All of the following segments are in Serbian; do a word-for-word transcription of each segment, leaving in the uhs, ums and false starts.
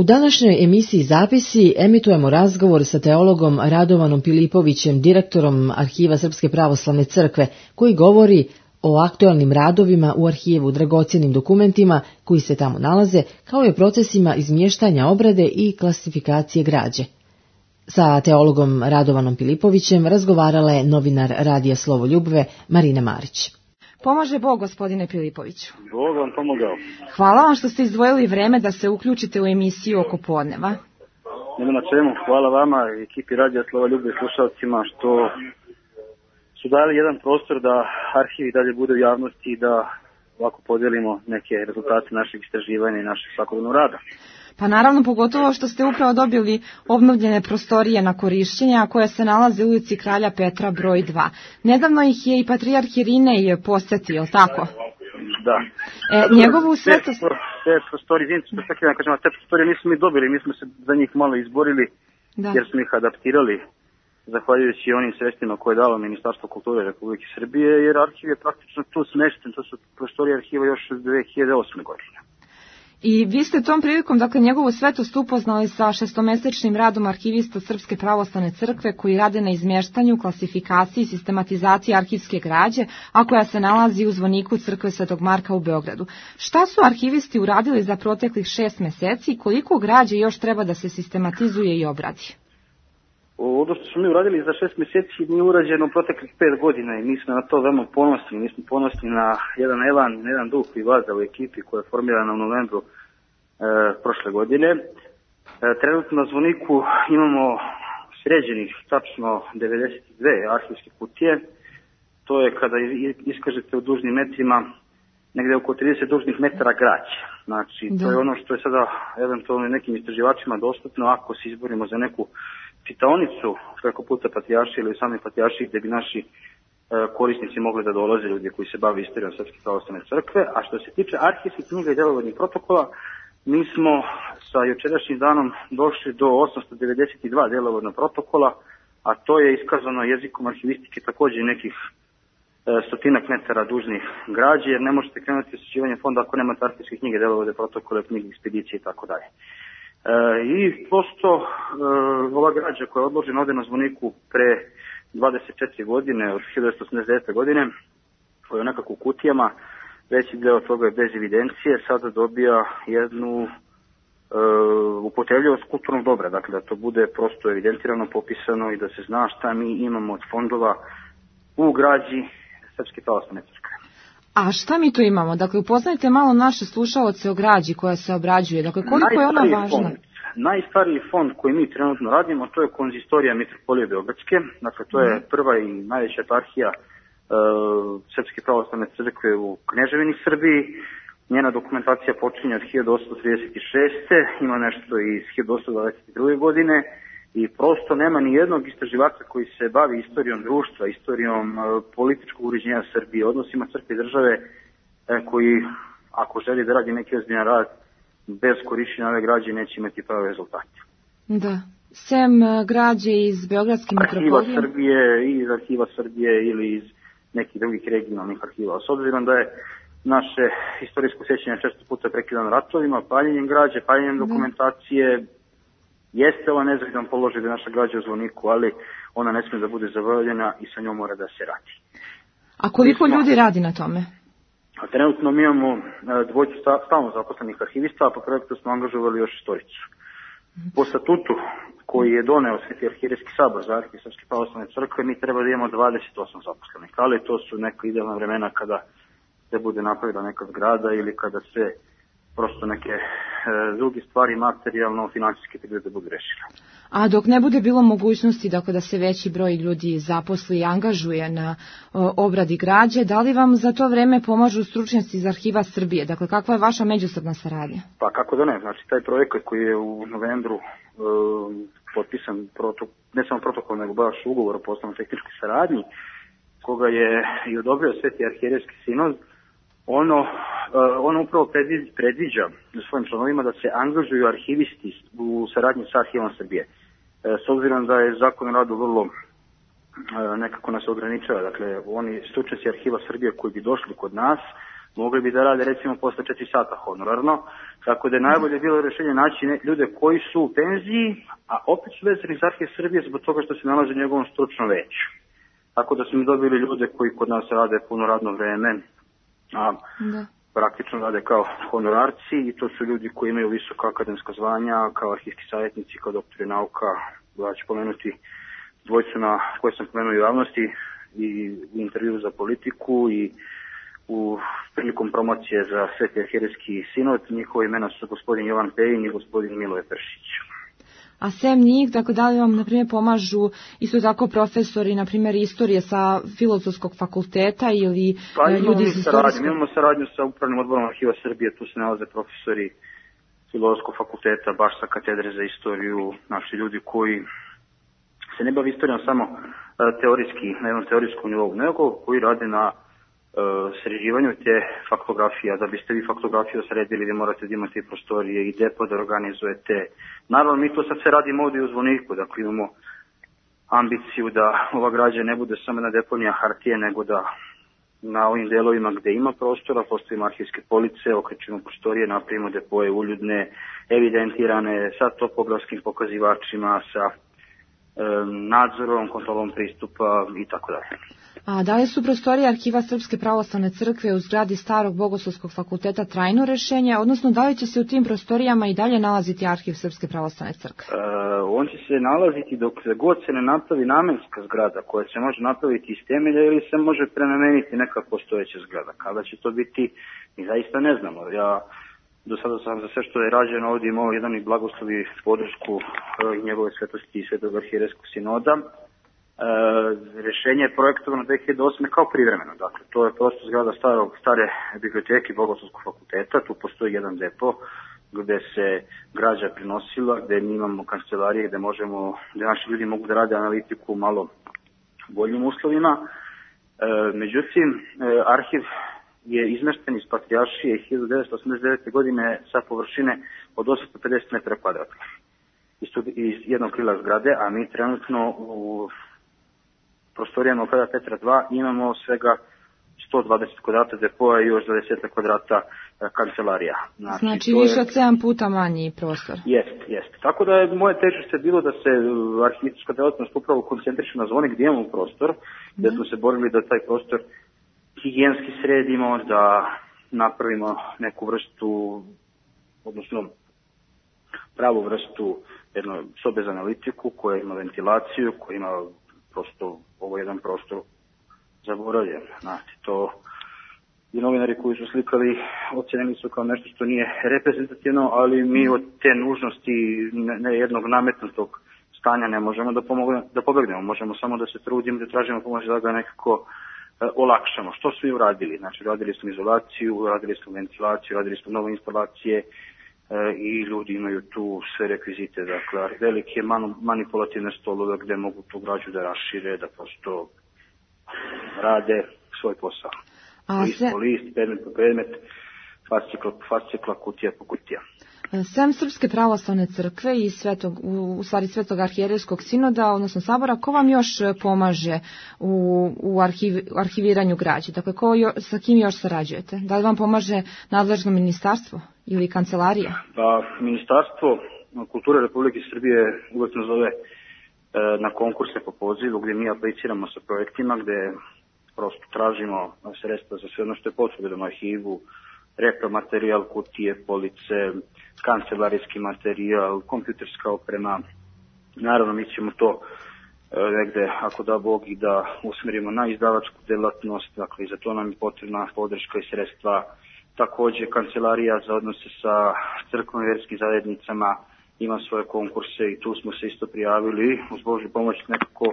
U današnjoj emisiji Zapisi emitujemo razgovor sa teologom Radovanom Pilipovićem, direktorom Arhiva Srpske pravoslavne crkve, koji govori o aktualnim radovima u arhivu, dragocjenim dokumentima koji se tamo nalaze, kao i o procesima izmještanja obrade i klasifikacije građe. Sa teologom Radovanom Pilipovićem razgovarala je novinar Radija Slovo Ljubve Marina Marić. Pomaže Bog, gospodine Pilipoviću. Bog vam pomogao. Hvala vam što ste izdvojili vreme da se uključite u emisiju oko podneva. Nema na čemu. Hvala vama i ekipi Radija Slova Ljubve i slušalcima što su dali jedan prostor da arhiv dalje bude u javnosti i da ovako podelimo neke rezultate našeg istraživanja i našeg svakodnevnog rada. Pa naravno, pogotovo što ste upravo dobili obnovljene prostorije na korišćenje, a koje se nalaze u ulici Kralja Petra broj dva. Nedavno ih je i patrijarh Irinej posetio, tako? Da. E, njegovu svetost... Te prostorije, izvinite, te prostorije nismo mi dobili, mi smo se za njih malo izborili, da. Jer smo ih adaptirali, zahvaljujući onim sredstvima koje je dalo Ministarstvo kulture Republike Srbije, jer arhiv je praktično tu smešten, to su prostorije arhiva još od dve hiljade osme. godine. I vi ste tom prilikom, dakle, njegovu svetost upoznali sa šestomesečnim radom arhivista Srpske pravoslavne crkve koji rade na izmještanju, klasifikaciji i sistematizaciji arhivske građe, a koja se nalazi u zvoniku crkve Svetog Marka u Beogradu. Šta su arhivisti uradili za proteklih šest meseci i koliko građe još treba da se sistematizuje i obradi? Ono što smo mi uradili za šest mjeseci nije urađeno u proteklih pet godina i mi smo na to veoma ponosni. Mi smo ponosni na jedan elan, na jedan duh koji vlada u ekipi koja je formirana u novembru e, prošle godine. E, trenutno na zvoniku imamo sređenih tačno devedeset dve arhivske kutije. To je kada iskažete u dužnim metrima negde oko trideset dužnih metara građe. Znači, da. To je ono što je sada eventualno nekim istraživačima dostupno ako se izborimo za neku čitaonicu preko puta Patrijaršije ili same Patrijaršije gdje bi naši e, korisnici mogli da dolaze, ljudi koji se bave istorijom Srpske pravoslavne crkve. A što se tiče arhivskih knjiga i djelovodnih protokola, mi smo sa jučerašnjim danom došli do osamsto devedeset dva djelovodna protokola, a to je iskazano jezikom arhivistike također nekih e, stotinak metara dužnih građe, jer ne možete krenuti osjećivanje fonda ako nemate arhivske knjige, djelovode protokole, knjige, ekspedicije i tako dalje. E, I prosto e, ova građa koja je odložena ovdje na zvoniku pre dvadeset četiri godine, od hiljadu devetsto osamdeset devete. godine, koja je nekako u kutijama, veći deo toga je bez evidencije, sada dobija jednu e, upotrebljivost kulturnog dobra, dakle da to bude prosto evidentirano, popisano i da se zna šta mi imamo od fondova u građi Srpske pravoslavne crkve. A šta mi tu imamo? Dakle, upoznajte malo naše slušaoce o građi koja se obrađuje. Dakle, koliko je ona važna? Fond, najstariji fond koji mi trenutno radimo, to je konzistorija Mitropolije Beogradske. Dakle, to je prva i najveća eparhija uh, Srpske pravoslavne crkve u Kneževini Srbiji. Njena dokumentacija počinje od hiljadu osamsto trideset šeste. Ima nešto iz hiljadu osamsto dvadeset druge. godine. I prosto nema ni jednog istraživača koji se bavi istorijom društva, istorijom e, političkog uređenja Srbije, odnosima crkve i države, e, koji, ako želi da radi neki ozbiljan rad, bez korišćenja ove građe neće imati prave rezultate. Da. Sem građe iz Beogradske mitropolije? Arhiva Srbije, i iz Arhiva Srbije ili iz nekih drugih regionalnih arhiva. S obzirom da je naše istorijsko sjećanje često puta prekidano ratovima, paljenjem građe, paljenjem dokumentacije, jeste ovo nezavidan položaj da naša građa u zvoniku, ali ona ne smije da bude zaboravljena i sa njom mora da se radi. A koliko smo, ljudi radi na tome? A trenutno mi imamo dvojicu stalno zaposlenih arhivista, a po projektu smo angažovali još istoricu. Mm. Po statutu koji je doneo Sveti arhijerejski sabor za arhiv Srpske pravoslavne crkve, mi treba da imamo dvadeset osam zaposlenih, ali to su neka idealna vremena kada se bude napravila neka zgrada ili kada se prosto neke e, druge stvari materijalno, financijske te da budu rešile. A dok ne bude bilo mogućnosti dakle, da se veći broj ljudi zaposli i angažuje na o, obradi građe, da li vam za to vreme pomažu stručnjaci iz Arhiva Srbije? Dakle, kakva je vaša međusobna saradnja? Pa kako da ne, znači taj projekat koji je u novembru e, potpisan, protok, ne samo protokol, nego baš ugovor o poslovno tehničkoj saradnji, koga je i odobrio Sveti arhijerejski sinod, ono, ono upravo predviđa, predviđa u svojim članovima da se angažuju arhivisti u saradnji sa Arhivom Srbije. S obzirom da je zakon o radu vrlo nekako nas ograničava, dakle oni stručnjaci Arhiva Srbije koji bi došli kod nas mogli bi da rade recimo posle četiri sata honorarno, tako da je najbolje bilo rješenje naći ljude koji su u penziji, a opet su vezani za Arhiv Srbije zbog toga što se nalaze u njegovom stručnom veću. Tako da smo dobili ljude koji kod nas rade puno radno vreme, a da. praktično rade kao honorarci i to su ljudi koji imaju visoka akademska zvanja, kao arhivski savjetnici, kao doktori nauka. Ja ću pomenuti dvojcu na koje sam pomenuo u javnosti i u intervju za Politiku i u prilikom promocije za Sveti arhijerejski sinod. Njihova imena su gospodin Jovan Pejin i gospodin Miloje Pršić. A sem njih, dakle, da li vam, na primjer, pomažu isto tako profesori, na primjer, istorije sa Filozofskog fakulteta ili pa, ljudi iz istorijskog? Imamo saradnju sa Upravnim odborom Arhiva Srbije, tu se nalaze profesori Filozofskog fakulteta, baš sa katedre za istoriju, naši ljudi koji se ne bavi istorijom samo teorijski, na jednom teorijskom nivou, nego koji rade na sređivanju te faktografije. Da biste vi faktografiju sredili, vi morate da imate prostorije i depo da organizujete. Naravno, mi to sad sve radimo ovdje u Zvoniku, dakle imamo ambiciju da ova građa ne bude samo na deponija hartije, nego da na ovim delovima gde ima prostora, postavimo arhivske police, okrećemo prostorije, napravimo depoje uljudne, evidentirane, sa topografskim pokazivačima, sa e, nadzorom, kontrolom pristupa i tako dalje. A da li su prostorije Arhiva Srpske pravoslavne crkve u zgradi Starog Bogoslovskog fakulteta trajno rješenje, odnosno da li će se u tim prostorijama i dalje nalaziti Arhiv Srpske pravoslavne crkve? E, on će se nalaziti dok god se ne napravi namenska zgrada koja se može napraviti iz temelja ili se može prenameniti neka postojeća zgrada. Kada će to biti, mi zaista ne znamo. Ja do sada sam za sve što je rađeno ovdje imao jedan i blagoslovi podršku e, njegove svetosti i Svetog arhijerejskog sinoda. E, rješenje je projektovano dve hiljade osme kao privremeno. Dakle, to je prosto zgrada starog, stare biblioteke Bogoslovskog fakulteta. Tu postoji jedan depo gde se građa prinosila, gde mi imamo kancelarije, gde možemo, gde naši ljudi mogu da rade analitiku u malo boljim uslovima. E, međutim, e, arhiv je izmešten iz Patrijaršije hiljadu devetsto osamdeset devete. godine sa površine od osamsto pedeset metara kvadratnih iz jednog krila zgrade, a mi trenutno u prostorijama u Freda Petra dva imamo svega sto dvadeset kvadrata depoja i još dvadeset kvadrata kancelarija. Znači, znači više od sedam puta manji prostor. Jest, jest. Tako da je moje težište bilo da se arhivska delatnost upravo koncentriše na Zvonik gdje imamo prostor, gdje smo se borili da taj prostor higijenski sredimo, da napravimo neku vrstu, odnosno pravu vrstu jedno sobe za analitiku koja ima ventilaciju, koja ima prosto ovo jedan prostor zaboravljen. Znači, to i novinari koji su slikali ocjenili su kao nešto što nije reprezentativno, ali mi od te nužnosti ne jednog nametnutog stanja ne možemo da, pomogne, da pobegnemo. Možemo samo da se trudimo, da tražimo pomoć da ga nekako e, olakšamo. Što su i uradili? Znači, radili smo izolaciju, radili smo ventilaciju, radili smo nove instalacije, i ljudi imaju tu sve rekvizite, dakle velike manipulativne stolove gde mogu tu građu da rašire, da prosto rade svoj posao. A list se... po list, predmet po predmet, fascikla po fascikla, kutija po kutija. Sem Srpske pravoslavne crkve i svetog, u stvari Svetog arhijerejskog sinoda, odnosno sabora, ko vam još pomaže u, u arhiv, arhiviranju građe? Dakle, ko jo, sa kim još sarađujete? Da li vam pomaže nadležno ministarstvo ili kancelarija? Pa, Ministarstvo kulture Republike Srbije uvek nas zove e, na konkurse po pozivu gdje mi apliciramo sa projektima, gdje prosto tražimo sredstva za sve ono što je potrebno arhivu, repromaterijal, kutije, police, kancelarijski materijal, kompjuterska oprema. Naravno, mi ćemo to e, negde, ako da Bog, i da usmerimo na izdavačku delatnost, dakle i za to nam je potrebna podrška i sredstva. Također, kancelarija za odnose sa crkvenim i vjerskim zajednicama ima svoje konkurse i tu smo se isto prijavili. Uz Božju pomoć nekako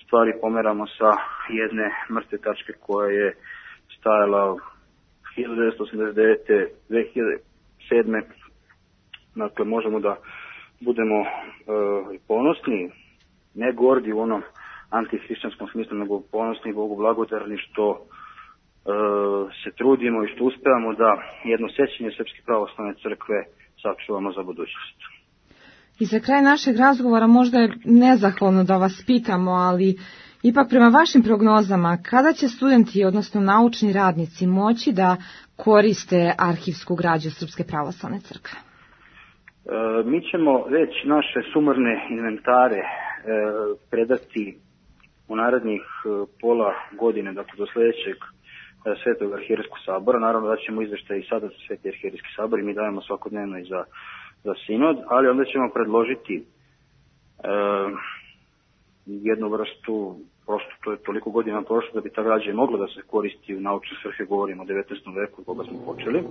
stvari pomeramo sa jedne mrtve tačke koja je stajala hiljadu devetsto osamdeset devete. do dve hiljade sedme. Dakle, možemo da budemo e, ponosni, ne gordi u onom antihrišćanskom smislu, nego ponosni, Bogu blagodarni što e, se trudimo i što uspevamo da jedno sjećanje Srpske pravoslavne crkve sačuvamo za budućnost. I za kraj našeg razgovora možda je nezahvalno da vas pitamo, ali ipak prema vašim prognozama, kada će studenti, odnosno naučni radnici, moći da koriste arhivsku građu Srpske pravoslavne crkve? E, mi ćemo već naše sumarne inventare e, predati u narednih e, pola godine, dakle do sljedećeg e, Svetog arhijerejskog sabora. Naravno da ćemo izveštaj i sada za Sveti arhijerejski sabor i mi dajemo svakodnevno i za, za sinod, ali onda ćemo predložiti e, jednu vrstu, prosto to je toliko godina prošlo da bi ta građa mogla da se koristi u naučne svrhe, govorimo o devetnaestom veku koga smo počeli. E,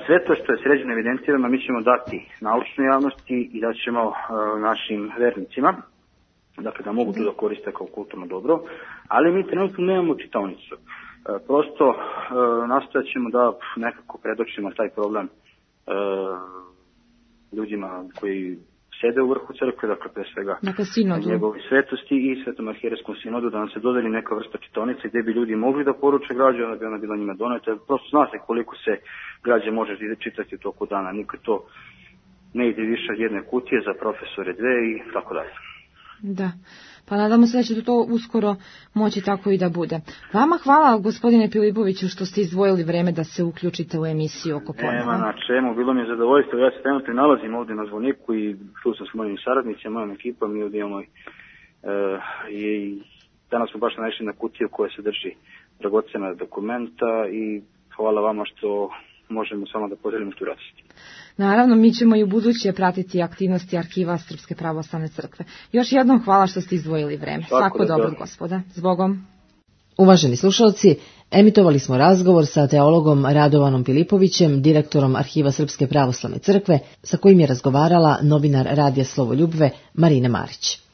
sve to što je sređeno evidentirano mi ćemo dati naučnoj javnosti i da ćemo e, našim vernicima, dakle da mogu to da koriste kao kulturno dobro, ali mi trenutno nemamo čitaonicu. E, prosto e, nastojat ćemo da nekako predočimo taj problem e, ljudima koji sede u vrhu crkve, dakle pre svega njegove svetosti i Svetom arhijerejskom sinodu, da nam se dodeli neka vrsta čitaonice gdje bi ljudi mogli da poruče građu, onda bi ona bila njima doneta. Prosto zna se koliko se građe može čitati u toku dana, nikad to ne ide više od jedne kutije za profesore dve i tako dalje. Da, pa nadamo se da će to uskoro moći tako i da bude. Vama hvala, gospodine Pilipoviću, što ste izdvojili vreme da se uključite u emisiju oko podneva. Nema na čemu, bilo mi je zadovoljstvo. Ja se trenutno nalazim ovdje na zvoniku i tu sam s mojim saradnicima, mojom ekipom i ovdje moj. E, i danas smo baš naišli na kutiju koja se drži dragocena dokumenta i hvala vama što možemo samo da podelimo tu radost. Naravno, mi ćemo i u buduće pratiti aktivnosti Arhiva Srpske pravoslavne crkve. Još jednom hvala što ste izdvojili vreme. Svako dobro, gospoda. Zbogom. Uvaženi slušalci, emitovali smo razgovor sa teologom Radovanom Pilipovićem, direktorom Arhiva Srpske pravoslavne crkve, sa kojim je razgovarala novinar Radija Slovoljubve Marina Marić.